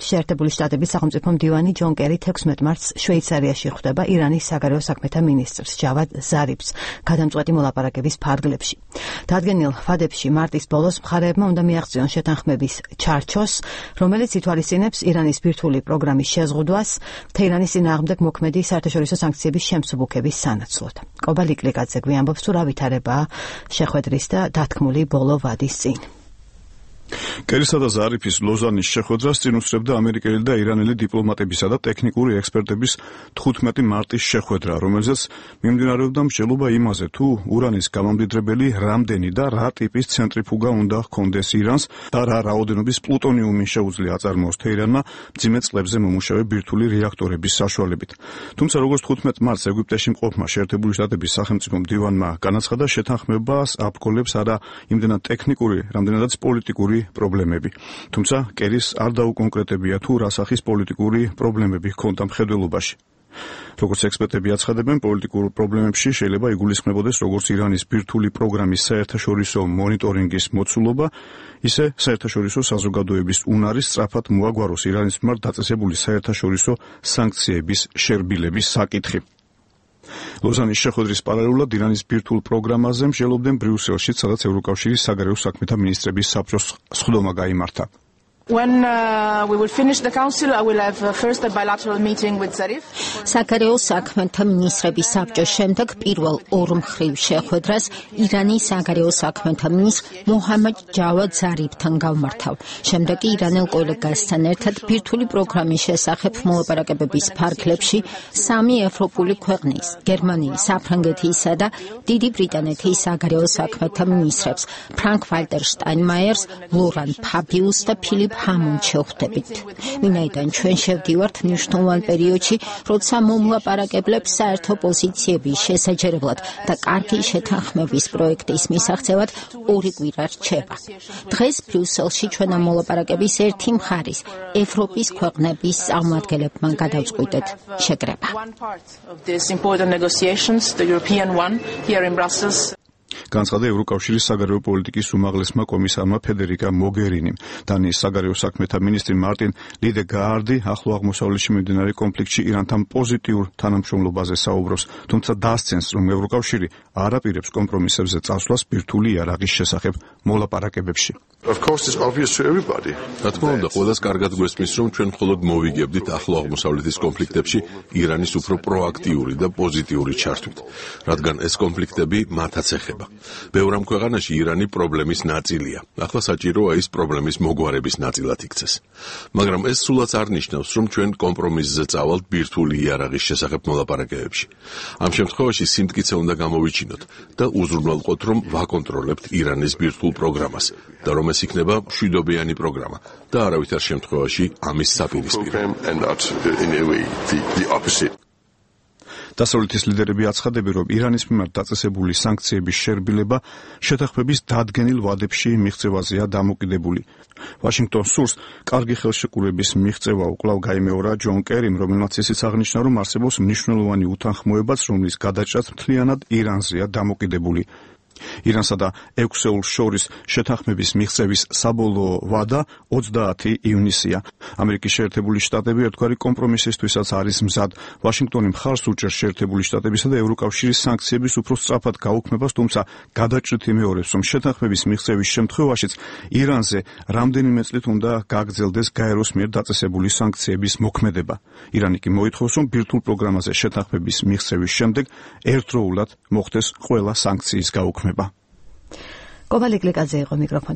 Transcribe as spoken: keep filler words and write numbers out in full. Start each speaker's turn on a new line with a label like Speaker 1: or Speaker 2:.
Speaker 1: შეერთებული შტატების სახელმწიფო მდივანი ჯონ კერი თექვსმეტ მარტს შვეიცარიაში ხვდება ირანის საგარეო საქმეთა მინისტრს ჯავად ზარიფს გადამწყვეტი მოლაპარაკების ფარგლებში. დადგენილ ვადებში მარტის ბოლოს მხარეებმა უნდა მიაღწიონ შეთანხმების ჩარჩოს, რომელიც ითვალისწინებს ირანის ბირთვული პროგრამის შეზღუდვას თეირანის წინააღმდეგ მოქმედი საერთაშორისო სანქციების შემსუბუქების სანაცვლოდ. კობა ლიკლიკაძე გვიამბობს თუ რა ვითარებაა შეხვედრის და დათქმული ბოლო ვადის წინ.
Speaker 2: კერისა და ზარიფის ლოზანის შეხვედრას წინ უსწრებდა ამერიკელი და ირანელი დიპლომატებისა და ტექნიკური ექსპერტების თხუთმეტი მარტის შეხვედრა, რომელზეც მიმდინარეობდა მსჯელობა იმაზე, თუ ურანის გამამდიდრებელი რამდენი და რა ტიპის ცენტრიფუგა უნდა ჰქონდეს ირანს და რა რაოდენობის პლუტონიუმი შეუძლია აწარმოოს თეირანმა მძიმე წყლებზე მომუშავე ბირთვული რეაქტორების საშუალებით. თუმცა როგორც თხუთმეტ მარტს ეგვიპტეში მყოფმა შეერთებული შტატების სახელმწიფო მდივანმა განაცხადა, შეთანხმებას აბკოლებს არა იმდენად ტექნიკური, რამდენადაც პოლიტიკური პრობლემები. თუმცა კერის არ დაუკონკრეტებია თუ რა სახის პოლიტიკური პრობლემები ჰქონდა მხედველობაში. როგორც ექსპერტები აცხადებენ, პოლიტიკურ პრობლემებში შეიძლება იგულისხმებოდეს როგორც ირანის ბირთვული პროგრამის საერთაშორისო მონიტორინგის მოცულობა, ისე საერთაშორისო საზოგადოების უნარი სწრაფად მოაგვაროს ირანის მიმართ დაწესებული საერთაშორისო სანქციების შერბილების საკითხი. ლოზანის შეხვედრის პარალელურად ირანის ბირთვულ პროგრამაზე მსჯელობდნენ ბრიუსელში, სადაც ევროკავშირის საგარეო საქმეთა მინისტრების საბჭოს სხდომა გაიმართა.
Speaker 3: When uh, we will finish the council, I will have uh, first a bilateral meeting with Zarif.
Speaker 4: საგარეო საქმეთა მინისტრების საბჭოს შემდეგ პირველ ორმხრივ შეხვედრას ირანის საგარეო საქმეთა მინისტრ მოჰამედ ჯავად ზარიფთან გავმართავ. შემდეგ კი ირანელ კოლეგასთან ერთად ბირთვული პროგრამის შესახებ მოლაპარაკებების ფარგლებში სამი ევროპული ქვეყნის, გერმანიის, საფრანგეთისა და დიდი ბრიტანეთის საგარეო საქმეთა მინისტრებს, ფრანკ ვალტერ შტაინმაიერს, ლორან ფაბიუს და ფილიპ ჰამონდს შევხვდებით. ვინაიდან ჩვენ შევდივართ მნიშვნელოვან პერიოდში, როცა მომლაპარაკებლებს საერთო პოზიციების შესაჯერებლად და კარგი შეთანხმების პროექტის მისაღწევად ორი კვირა რჩება. დღეს ბრიუსელში ჩვენ ამ მოლაპარაკების ერთი მხარის, ევროპის ქვეყნების წარმომადგენლებმა გადავწყვიტეთ შეკრება.
Speaker 2: განცხადა ევროკავშირის საგარეო პოლიტიკის უმაღლესმა კომისარმა ფედერიკა მოგერინიმ. დანიის საგარეო საქმეთა მინისტრი მარტინ ლიდეგაარდი ახლო აღმოსავლეთში მიმდინარე კონფლიქტში ირანთან პოზიტიურ თანამშრომლობაზე საუბრობს, თუმცა დასცენს, რომ ევროკავშირი არ აპირებს კომპრომისებზე წასვლას ბირთვული იარაღის შესახებ მოლაპარაკებებში.
Speaker 5: რა თქმა უნდა, ყველას კარგად გვესმის, რომ ჩვენ მხოლოდ მოვიგებდით ახლო აღმოსავლეთის კონფლიქტებში ირანის უფრო პროაქტიული და პოზიტიური ჩართვით, რადგან ეს კონფლიქტები მათაც ეხება. ბევრ ამ ქვეყანაში ირანი პრობლემის ნაწილია. ახლა საჭიროა ის პრობლემის მოგვარების ნაწილად იქცეს. მაგრამ ეს სულაც არ ნიშნავს, რომ ჩვენ კომპრომისზე წავალთ ბირთვული იარაღის შესახებ მოლაპარაკებებში. ამ შემთხვევაში სიმტკიცე უნდა გამოვიჩინოთ და უზრუნველყოთ, რომ ვაკონტროლებთ ირანის ბირთვულ პროგრამას და რომ ეს იქნება მშვიდობიანი პროგრამა და არავითარ შემთხვევაში ამის საპირისპირო.
Speaker 2: დასავლეთის ლიდერები აცხადებენ, რომ ირანის მიმართ დაწესებული სანქციების შერბილება შეთანხმების დადგენილ ვადებში მიღწევაზეა დამოკიდებული. ვაშინგტონ სურს კარგი ხელშეკრულების მიღწევა უკვლავ გაიმეორა ჯონ კერიმ, რომელმაც ისიც აღნიშნა, რომ არსებობს მნიშვნელოვანი უთანხმოებაც, რომლის გადაჭრაც მთლიანად ირანზეა დამოკიდებული. ირანსა და ექვსეულს შორის შეთანხმების მიღწევის საბოლოო ვადა ოცდაათი ივნისია. ამერიკის შეერთებული შტატები ერთგვარი კომპრომისისთვისაც არის მზად. ვაშინგტონი მხარს უჭერს შეერთებული შტატებისა და ევროკავშირის სანქციების უფრო სწრაფად გაუქმებას, თუმცა გადაჭრით იმეორებს, რომ შეთანხმების მიღწევის შემთხვევაშიც ირანზე რამდენიმე წლით უნდა გაგრძელდეს გაეროს მიერ დაწესებული სანქციების მოქმედება. ირანი კი მოითხოვს, რომ ბირთვულ პროგრამაზე შეთანხმების მიღწევის შემდეგ ერთდროულად მოხდეს ყველა სანქციის გაუქმება.
Speaker 1: კობა ლიკლიკაძე იყო მიკროფონთან.